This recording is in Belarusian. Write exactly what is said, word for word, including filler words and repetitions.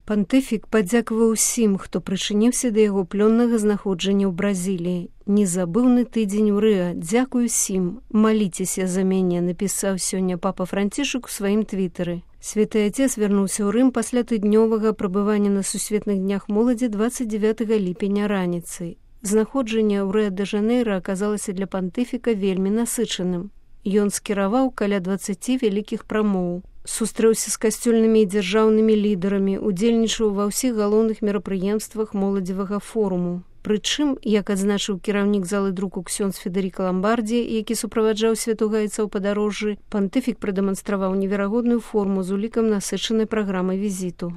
Пантыфік падзякаваў усім, хто прычыніўся да яго плённага знаходжання ў Бразіліі. Незабыўны тыдзень у Рыа. Дзякуй усім. Маліцеся за мяне, напісаў сёння папа Францішак у сваім твітары. Святы Отец вярнуўся ў Рым пасля тыднёвага прабывання на сусветных днях моладзі дваццаць дзевятага ліпеня раніцай. Знаходжанне ў Рыа-дэ-Жанэйра аказалася для пантыфіка вельмі насычаным. Ён скіраваў каля дваццаці вялікіх прамоў. Сустрэўся з касцёльнымі і дзяржаўнымі лідарамі, удзельнічаў ва ўсіх галоўных мерапрыемствах моладзевага форуму. Прычым, як адзначыў кіраўнік залы друку ксёндз Федэріка Ламбардзі, які суправаджаў святога Айца ў падарожжы, пантыфік прадэманстраваў неверагодную форму з улікам насычанай праграмы візіту.